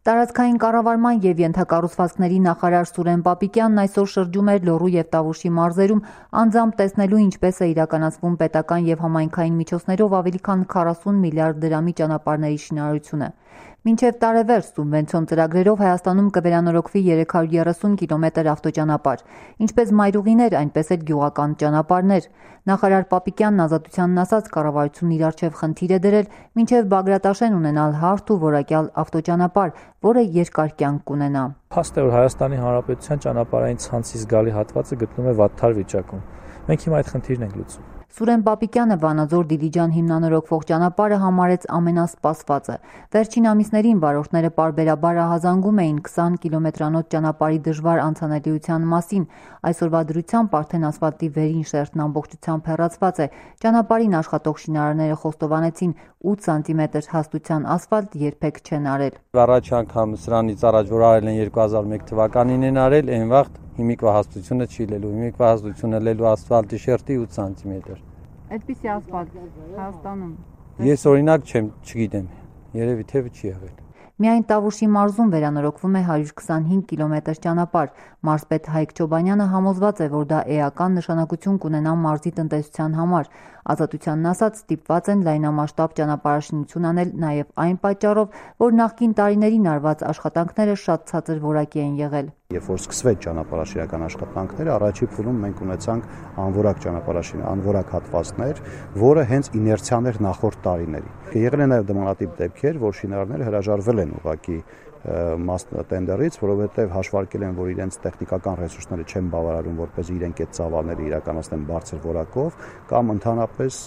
Տարածքային կառավարման և ենթակառուցվածքների նախարար Սուրեն Պապիկյանն այսօր շրջում էր Լոռու և Տավուշի մարզերում անձամբ տեսնելու ինչպես է իրականացվում պետական և համայնքային միջոցներով ավելի քան 40 միլիարդ դրամի ճանապարհների շինարարությունը։ Մինչև տարեվերջ սուբվենցիոն ծրագրերով Հայաստանում կվերանորոգվի 330 կիլոմետր ավտոճանապարհ, ինչպես մայրուղիներ, այնպես էլ գյուղական ճանապարհներ։ Նախարար Պապիկյանն Ազատությանն ասաց, կառավարությունն իր առջև խնդիր է դրել մինչև Բագրատաշեն ունենալ հարթ ու որակյալ ավտոճանապարհ, որը երկար կյանք կունենա։ Փաստ է, որ Հայաստանի Հանրապետության ճանապարհային ցանցի զգալի հատվածը գտնվում է վատթար վիճակում։ Մենք հիմա այդ խնդիրն ենք լուծում։ Սուրեն Պապիկյանը Վանաձոր-Դիլիջան հիմնանորոգվող ճանապարհը համարեց ամենասպասվածը։ Վերջին ամիսներին վարորդները պարբերաբար ահազանգում էին 20 կիլոմետրանոց ճանապարհի դժվար անցանելիության մասին։ Այսօրվա դրությամբ արդեն ասֆալտի վերին շերտն ամբողջությամբ հեռացված է։ Ճանապարհին աշխատող շինարարները խոստովանեցին 8 սանտիմետր հաստության ասֆալտ երբեք չեն արել։ Առաջ անգամ սրանից առաջ որ արել են 2001 թվականին են արել, այն վաղ հիմիկվա հաստությունը չի լելու, հիմիկվա հաստությունը լելու ասֆալտի շերտի 8 սանտիմետր։ Այդպիսի ասֆալտ Հայաստանում։ Ես օրինակ չգիտեմ, երևի թե չի եղել։ Միայն Տավուշի մարզում վերանորոգվում է 125 կիլոմետր ճանապարհ։ Մարզպետ Հայկ Չոբանյանը համոզված է, որ դա էական նշանակություն կունենա մարզի տնտեսության համար։ Ազատությանն ասած, ստիպված են լայնամասշտաբ ճանապարհաշինություն անել նաև այն պատճառով, որ նախկին տարիներին արված աշխատանքները շատ ցածր որակի են եղել։ Երբ որ սկսվեց ճանապարհաշինական աշխատանքները, առաջի փուլում մենք ունեցանք անորակ հատվածներ, որը հենց իներցիան էր նախորդ տարիների։ Եղել են նաև դմանատիպ դեպքեր, որ շինարարները հրաժարվել են ուղղակի տենդերից, որովհետև հաշվարկել են, որ իրենց տեխնիկական ռեսուրսները չեն բավարարում, որպեսզի իրենք այդ ծավալները իրականացնեն բարձր որակով, կամ ընդհանրապես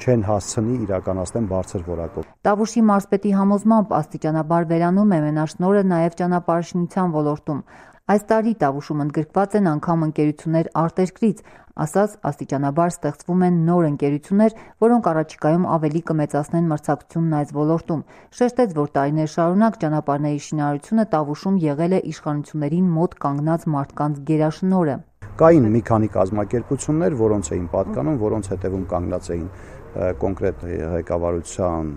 չեն հասցնի իրականացնեն բարձր որակով։ Տավուշի մարզպետի համոզմամբ աստիճանաբար վերանում է մենաշնորհը նաև ճանապարհաշինության ոլորտում։ Այս տարի Տավուշում ընդգրկված են անգամ ընկերություններ արտերկրից, ասաց աստիճանաբար ստեղծվում են նոր ընկերություններ, որոնք առաջիկայում ավելի կմեծացնեն մրցակցությունն այս ոլորտում։ Շեշտեց, որ տարիներ շարունակ ճանապարհների շինարարությունը Տավուշում եղել է իշխանություններին մոտ կանգնած մարդկանց գերաշնորհը։ Կային մի քանի կազմակերպություններ, որոնց էին պատկանում, որոնց հետևում կանգնած էին կոնկրետ ղեկավարության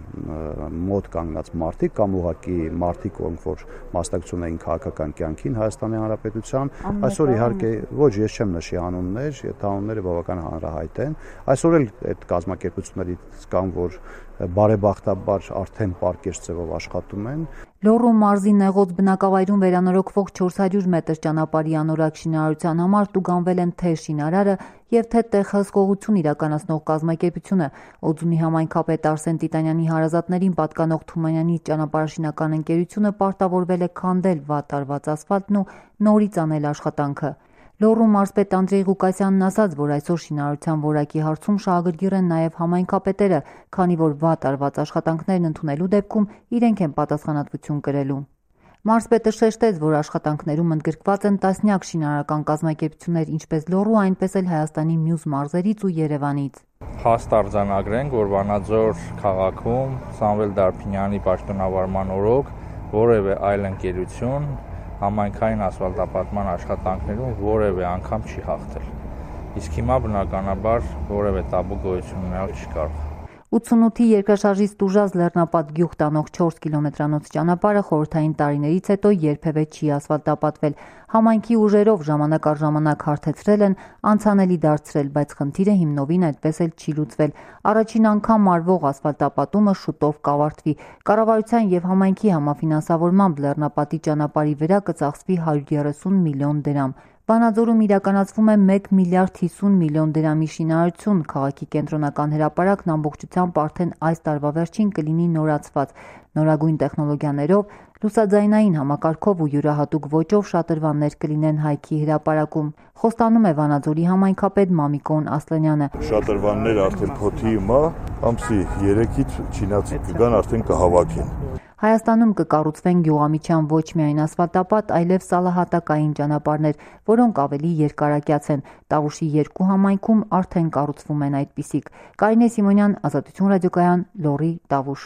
մոտ կանգնած մարդիկ կամ ուղղակի մարդիկ, որ մասնակցում էին քաղաքական կյանքին Հայաստանի Հանրապետության։ Այսօր իհարկե ոչ, ես չեմ նշի անուններ, անունները բավական հանրահայտ են։ Այսօր էլ այդ կազմակերպություններից կան, որ բարեբախտաբար արդեն պարկեշտ ձևով աշխատում են։ Լոռու մարզի Նեղոց բնակավայրում վերանորոգվող 400 մետր ճանապարհի անորակ շինարարության համար տուգանվել են թե շինարարը և թե տեղ հսկողություն իրականացնող կազմակերպությունը։ Օձունի համայնքապետ Արսեն Տիտանյանի հարազատներին պատկանող Թումանյանի ճանապարհաշինական ընկերությունը պարտավորվել է քանդել վատ արված ասֆալտն ու նորից անել աշխատանքը։ Լոռու մարզպետ Անդրեյ Ղուկասյանն ասաց, որ այսօր շինարարության որակի հարցում շահագրգիռ են նաև համայնքապետերը, քանի որ վատ արված աշխատանքներն ընդունելու դեպքում իրենք են պատասխանատվություն կրելու։ Մարզպետը շեշտեց, որ աշխատանքներում ընդգրկված են տասնյակ շինարարական կազմակերպություններ ինչպես Լոռու, այնպես էլ Հայաստանի մյուս մարզերից ու Երևանից։ Հաստ արձանագրենք, որ Վանաձոր քաղաքում Սամվել Դարփինյանի պաշտոնավարման օրոք որևէ այլ ընկերություն համայնքային ասֆալտապատման աշխատանքներում որևէ անգամ չի հաղթել։ Իսկ հիմա բնականաբար որևէ տաբու գոյություն ունենալ չի կարող։ 88-ի երկրաշարժից տուժած Լեռնապատ գյուղ տանող 4 կիլոմետրանոց ճանապարհը խորհրդային տարիներից հետո երբևէ չի ասֆալտապատվել։ Համայնքի ուժերով ժամանակ առ ժամանակ հարթեցրել են, անցանելի դարձրել, բայց խնդիրը հիմնովին այդպես էլ չի լուծվել։ Առաջին անգամ արվող ասֆալտապատումը շուտով կավարտվի։ Կառավարության եւ համայնքի համաֆինանսավորմամբ Լեռնապատի ճանապարհի վրա կծախսվի 130 միլիոն դրամ։ Վանաձորում իրականացվում է 1 միլիարդ 50 միլիոն դրամի շինարարություն։ Քաղաքի կենտրոնական հրապարակն ամբողջությամբ արդեն այս տարվա վերջին կլինի նորացված։ Նորագույն տեխնոլոգիաներով, լուսաձայնային համակարգով ու յուրահատուկ ոճով շատրվաններ կլինեն հայքի հրապարակում։ Խոստանում է Վանաձորի համայնքապետ Մամիկոն Ասլանյանը։ Շատրվանները արդեն փոթի հիմա, ամսի 3-ից չինացի կգան, արդեն կհավաքեն։ Հայաստանում կկառուցվեն գյուղամիջյան ոչ միայն ասֆալտապատ, այլև սալահատակային ճանապարհներ, որոնք ավելի երկարակյաց են։ Տավուշի 2 համայնքում արդեն կառուցվում են այդպիսիք։ Կարինե Սիմոնյան, Ազատություն ռադիոկայան, Լոռի, Տավուշ։